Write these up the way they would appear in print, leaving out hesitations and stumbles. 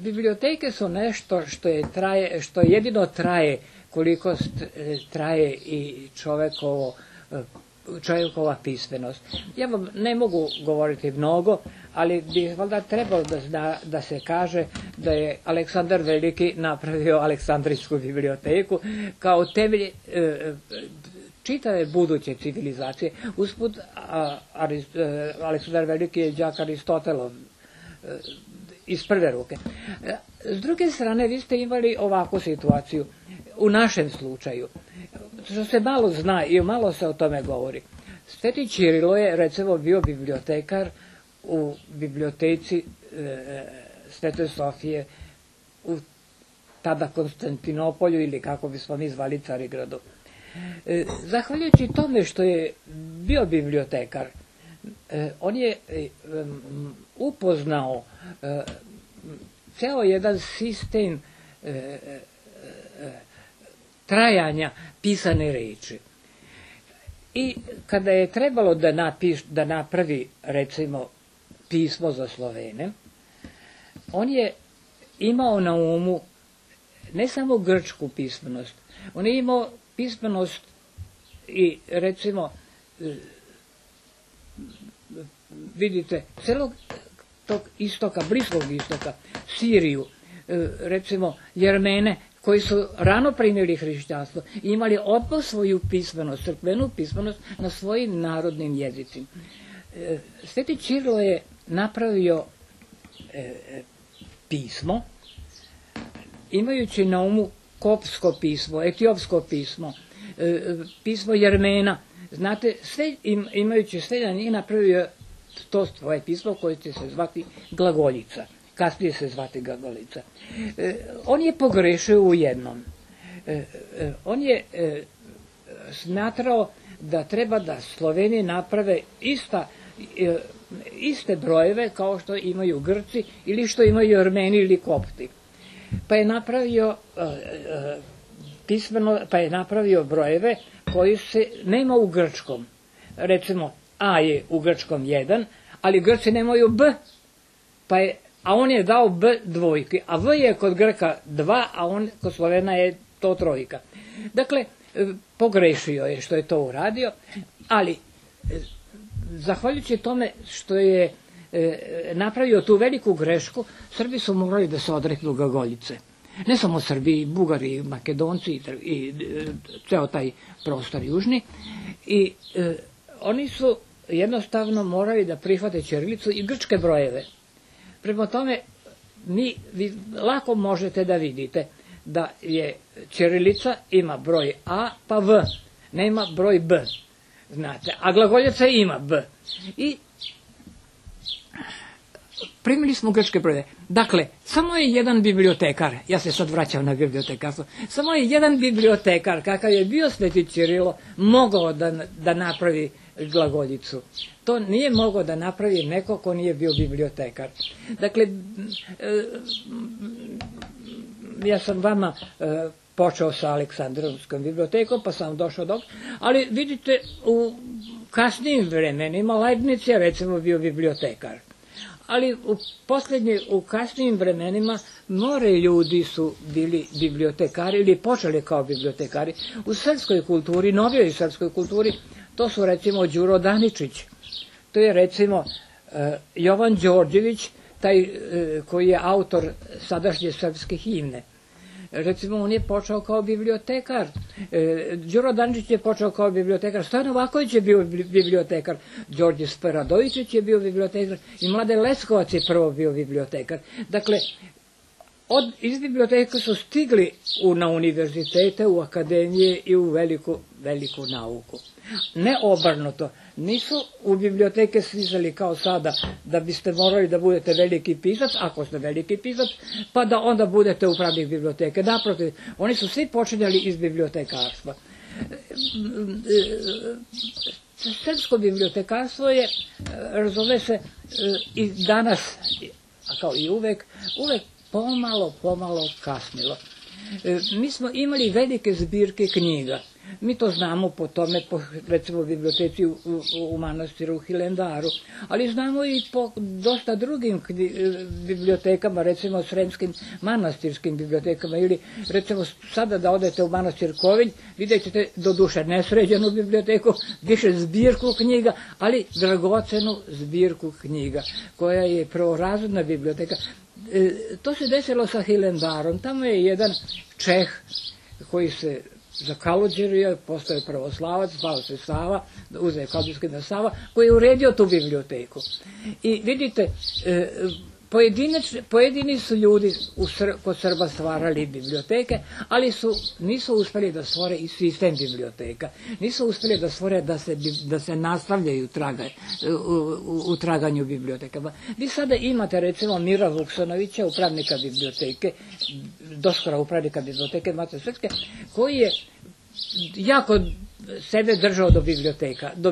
biblioteke su nešto što jedino traje koliko traje i čovjekova pismenost. Ja vam ne mogu govoriti mnogo, ali bi valjda trebalo da se kaže da je Aleksandar Veliki napravio Aleksandrijsku biblioteku kao temelj čitave buduće civilizacije. Usput, Aleksandar Veliki je đak Aristotelov iz prve ruke. S druge strane, vi ste imali ovakvu situaciju u našem slučaju, što se malo zna i malo se o tome govori. Sveti Ćirilo je, recimo, bio bibliotekar u biblioteci Svete Sofije u tada Konstantinopolju, ili kako bismo mi zvali Carigradu. Zahvaljujući tome što je bio bibliotekar, on je upoznao ceo jedan sistem trajanja pisane reči. I kada je trebalo da napravi, recimo, pismo za Slovene, on je imao na umu ne samo grčku pismenost, on je imao pismenost i, recimo, vidite, celog tog istoka, Bliskog istoka, Siriju, recimo Jermene, koji su rano primili hrišćanstvo i imali odmah svoju pismenost, crkvenu pismenost na svojim narodnim jezicima. Sveti Ćirilo je napravio pismo, imajući na umu koptsko pismo, etiopsko pismo, pismo Jermena. Znate, imajući sve na njih, napravio to svoje pismo koje će se zvati glagoljica. Kasnije se zvati glagoljica. On je pogrešio u jednom. On je smatrao da treba da Sloveni naprave iste brojeve kao što imaju Grci ili što imaju Armeni ili Kopti. Pa je napravio brojeve koji se nema u grčkom. Recimo, A je u grčkom 1, ali Grci nemaju B, a on je dao B dvojke, a V je kod Grka 2, a kod Slovena je to 3. Dakle, pogrešio je što je to uradio, ali zahvaljujući tome što je napravio tu veliku grešku, Srbi su morali da se odreknu glagoljice. Ne samo Srbi, i Bugari, i Makedonci, i ceo taj prostor južni. I oni su jednostavno morali da prihvate ćirilicu i grčke brojeve. Prema tome, vi lako možete da vidite da je ćirilica ima broj A pa V, nema broj B, znate, a glagoljica ima B. I primili smo grčke brojeve. Dakle, samo je jedan bibliotekar, ja se sad vraćam na bibliotekarstvo, samo je jedan bibliotekar, kakav je bio Sveti Ćirilo, mogao da napravi glagoljicu. To nije mogao da napravi neko ko nije bio bibliotekar. Dakle, ja sam vama počeo sa Aleksandrijskom bibliotekom, pa sam došao do... Ali vidite, u kasnijim vremenima Leibniz je recimo bio bibliotekar. Ali u kasnijim vremenima mnogi ljudi su bili bibliotekari ili počeli kao bibliotekari. U srpskoj kulturi, novijoj srpskoj kulturi, to su recimo Đuro Daničić, to je recimo Jovan Đorđević, taj koji je autor sadašnje srpske himne. Recimo, on je počeo kao bibliotekar. Đuro Daničić je počeo kao bibliotekar. Stojan Novaković je bio bibliotekar. Đorđe Speradovičić je bio bibliotekar. I Mladen Leskovac je prvo bio bibliotekar. Dakle, iz biblioteka su stigli na univerzitete, u akademije i u veliku nauku. Ne obrnuto. Nisu u biblioteke stizali kao sada da biste morali da budete veliki pisac, ako ste veliki pisac, pa da onda budete upravnik biblioteke. Naprotiv, oni su svi počinjali iz bibliotekarstva. Srpsko bibliotekarstvo je, razume se, i danas, kao i uvek pomalo kasnilo. Mi smo imali velike zbirke knjiga. Mi to znamo po tome, po recimo biblioteci u manastiru u Hilandaru, ali znamo i po dosta drugim bibliotekama, recimo sremskim manastirskim bibliotekama, ili recimo sada da odete u manastir Kovilj, vidjet ćete doduše nesređenu biblioteku, više zbirku knjiga, ali dragocenu zbirku knjiga, koja je prvorazredna biblioteka. To se desilo sa Hilandarom. Tamo je jedan Čeh koji se zakaluđerio, postao je pravoslavac, zvao se Sava, uzeo Kaludžijski na Sava, koji je uredio tu biblioteku. I vidite, pojedini su ljudi kod Srba stvarali biblioteke, ali nisu uspjeli da stvore i sistem biblioteka. Nisu uspjeli da stvore da se nastavljaju u traganju bibliotekama. Vi sada imate recimo Mira Vuksonovića, upravnika biblioteke, doskora upravnika biblioteke Mate Srpske, koji je jako sebe držao do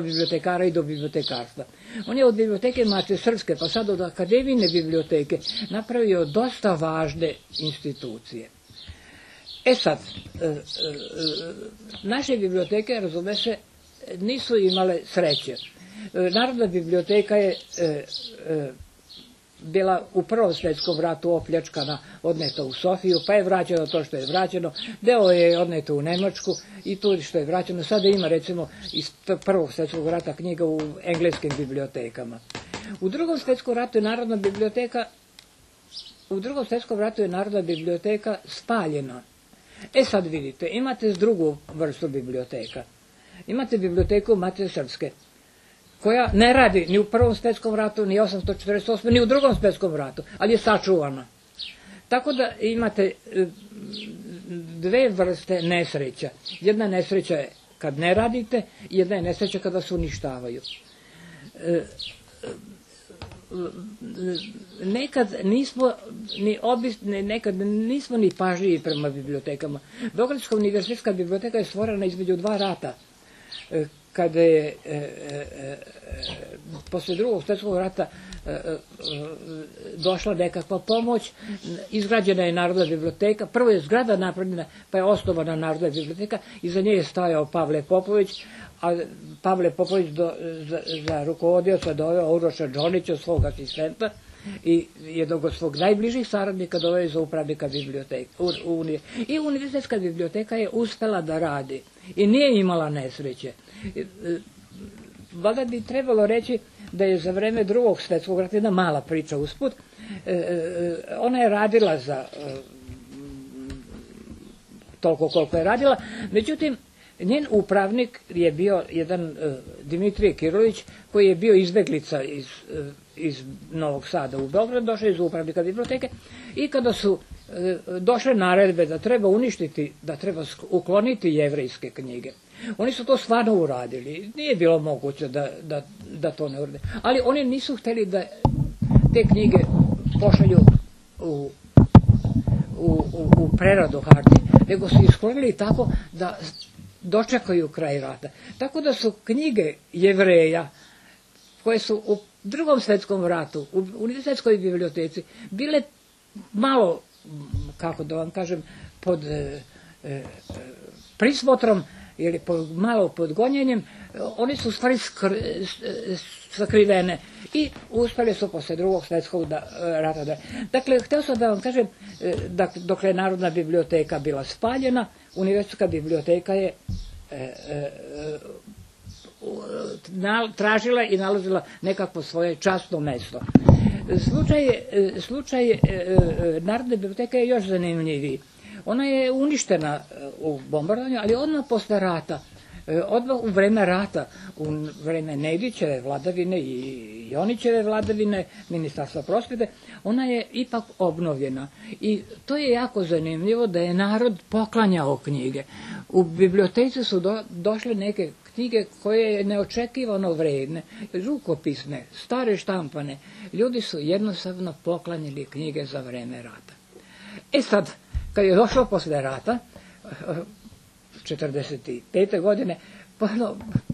bibliotekara i do bibliotekarstva. On je od biblioteke Mate Srpske, pa sad od akademijne biblioteke, napravio dosta važne institucije. E sad, naše biblioteke, razume se, nisu imale sreće. Narodna biblioteka je bila u Prvom svjetskom ratu opljačkana, odneta u Sofiju, pa je vraćeno to što je vraćeno, deo je odneto u Nemačku i tu što je vraćeno. Sada ima recimo iz Prvog svjetskog rata knjiga u engleskim bibliotekama. U Drugom svjetskom ratu je Narodna biblioteka spaljena. E sad vidite, imate drugu vrstu biblioteka. Imate biblioteku Mate Srpske, koja ne radi ni u Prvom svjetskom ratu, ni 1848. ni u Drugom svjetskom ratu, ali je sačuvana. Tako da imate dve vrste nesreća. Jedna nesreća je kad ne radite, jedna je nesreća kada se uništavaju. Nekad nismo ni pažljivi prema bibliotekama. Beogradska univerzitetska biblioteka je stvorena između dva rata. Kada je posle Drugog svjetskog rata došla nekakva pomoć, izgrađena je Narodna biblioteka, prvo je zgrada napravljena, pa je osnovana Narodna biblioteka, iza nje je stajao Pavle Popović, a Pavle Popović za rukovodioca doveo Uroša Džonića, svog asistenta, i jednog od svog najbližih saradnika doveo za upravnika biblioteke. I univerzitetska biblioteka je uspela da radi i nije imala nesreće. Valjda bi trebalo reći da je za vreme Drugog svjetskog rata, jedna mala priča usput, ona je radila za toliko koliko je radila, međutim njen upravnik je bio jedan Dimitrije Kirović, koji je bio izbeglica iz Novog Sada u Beograd, došao iz upravnika biblioteke, i kada su došle naredbe da treba uništiti, da treba ukloniti jevrejske knjige, oni su to stvarno uradili. Nije bilo moguće da to ne urade. Ali oni nisu htjeli da te knjige pošalju u preradu hartije, nego su isklonili tako da dočekaju kraj rata. Tako da su knjige Jevreja, koje su u Drugom svjetskom ratu, u univerzitetskoj biblioteci, bile malo, kako da vam kažem, pod prismotrom ili malo pod gonjenjem, oni su u stvari sakrivene i uspjeli su posle Drugog svjetskog rata. Dakle, htio sam da vam kažem, dok je Narodna biblioteka bila spaljena, univerzitetska biblioteka je tražila i nalazila nekakvo svoje časno mesto. Slučaj Narodne biblioteke je još zanimljiviji. Ona je uništena u bombardovanju, ali odmah posle rata, odmah u vreme rata, u vreme Nedićeve vladavine i Jonićeve vladavine, Ministarstva prosvjete, ona je ipak obnovljena. I to je jako zanimljivo da je narod poklanjao knjige. U biblioteci su došle neke knjige koje je neočekivano vredne, rukopisne, stare štampane. Ljudi su jednostavno poklanjali knjige za vreme rata. E sad, kad je došlo posle rata, 1945. godine,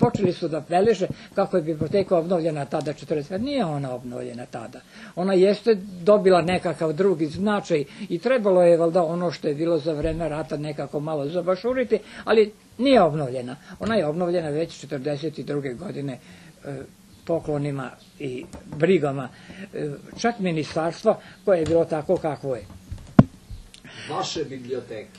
počeli su da beleže kako je biblioteka obnovljena tada 1945. Nije ona obnovljena tada. Ona jeste dobila nekakav drugi značaj i trebalo je valjda ono što je bilo za vreme rata nekako malo zabašuriti, ali Nije obnovljena. Ona je obnovljena već 1942. godine poklonima i brigama. Čak ministarstvo koje je bilo tako kakvo je. Vaše biblioteke,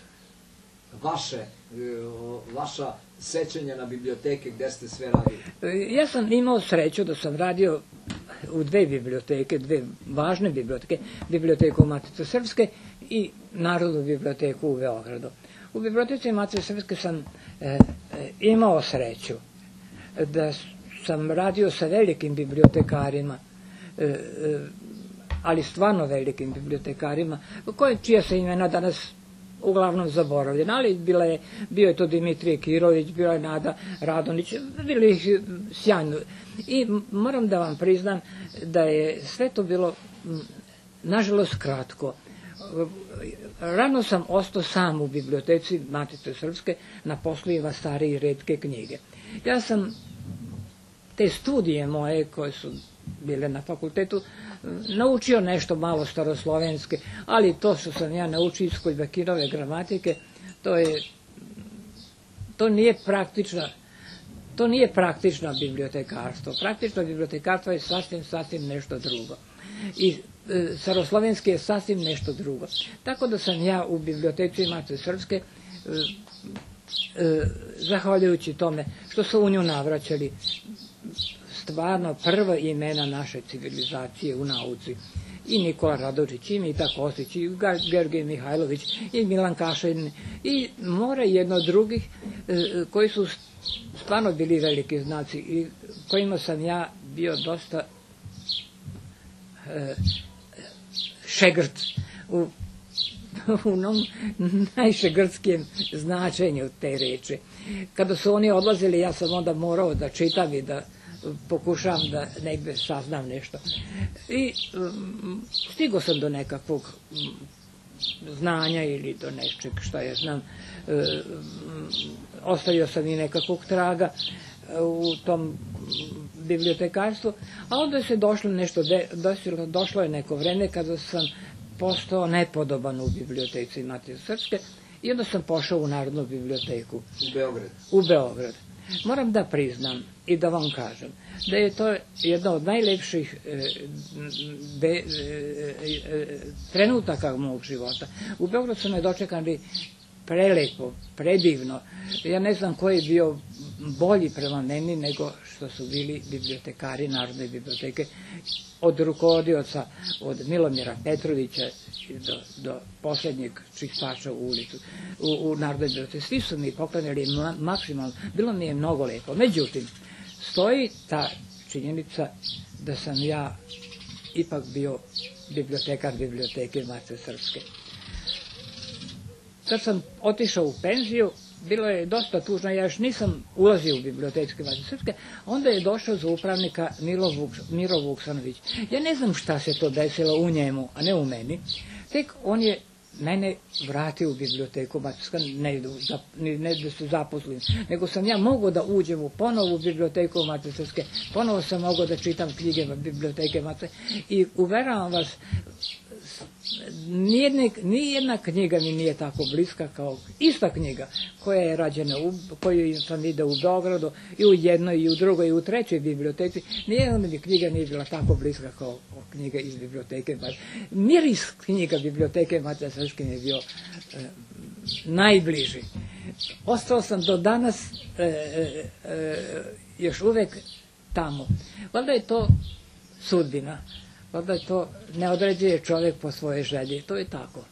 vaša sećanja na biblioteke, gde ste sve radili? Ja sam imao sreću da sam radio u dve biblioteke, dve važne biblioteke, biblioteku Matice Srpske i Narodnu biblioteku u Beogradu. U biblioteci Matice Srpske sam imao sreću da sam radio sa velikim bibliotekarima, ali stvarno velikim bibliotekarima, čija se imena danas uglavnom zaboravljena, ali bio je to Dimitrije Kirović, bila je Nada Radonić, bili ih sjajno. I moram da vam priznam da je sve to bilo, nažalost, kratko. Rano sam ostao sam u biblioteci Matice Srpske na poslovima stare i retke knjige. Ja sam te studije moje koje su bile na fakultetu naučio nešto malo staroslovenske, ali to što sam ja naučio iz Kojbakirove gramatike, to nije praktično bibliotekarstvo. Praktično bibliotekarstvo je sasvim nešto drugo. I staroslovenski je sasvim nešto drugo. Tako da sam ja u biblioteci Matice Srpske, zahvaljujući tome što su u nju navraćali stvarno prva imena naše civilizacije u nauci. I Nikola Radočić, i Mita Kostić, i Georgij Mihajlović, i Milan Kašin, i more jedno od drugih koji su stvarno bili veliki znaci i kojima sam ja bio dosta šegrt u onom najšegrtskijem značenju te reči. Kada su oni odlazili, ja sam onda morao da čitam i da pokušavam da negde saznam nešto. I stigao sam do nekakvog znanja ili do nečeg što ja znam. Ostavio sam i nekakvog traga u tom bibliotekarstvu, a onda se došlo nešto desilo, došlo je neko vreme kada sam postao nepodoban u biblioteci Matice Srpske i onda sam pošao u Narodnu biblioteku. U Beograd. Moram da priznam i da vam kažem da je to jedna od najlepših trenutaka mog života. U Beogradu su me dočekali prelepo, predivno. Ja ne znam ko je bio bolji prema meni nego što su bili bibliotekari Narodne biblioteke, od rukovodioca, od Milomira Petrovića do poslednjeg čistača u ulicu, u Narodnoj biblioteci. Svi su mi poklanjali maksimalno, bilo mi je mnogo lepo. Međutim, stoji ta činjenica da sam ja ipak bio bibliotekar biblioteke Matice Srpske. Kad sam otišao u penziju, bilo je dosta tužno, ja još nisam ulazio u bibliotečke Matice Srpske, onda je došao za upravnika Miro Vuksanović. Ja ne znam šta se to desilo u njemu, a ne u meni. Tek on je mene vratio u biblioteku Matice Srpske, ne da se zaposlim, nego sam ja mogao da uđem ponovo u biblioteku Matice Srpske, ponovo sam mogao da čitam knjige biblioteke Matice i uveravam vas, nijedna knjiga mi nije tako bliska kao ista knjiga koja je rađena, koju sam vidio u Beogradu i u jednoj i u drugoj i u trećoj biblioteci. Nijedna mi knjiga nije bila tako bliska kao knjiga iz biblioteke. Miris knjiga biblioteke Matice Srpske mi je bio najbliži. Ostao sam do danas još uvek tamo. Valjda je to sudbina. Valjda to ne određuje čovjek po svojoj želji. To je tako.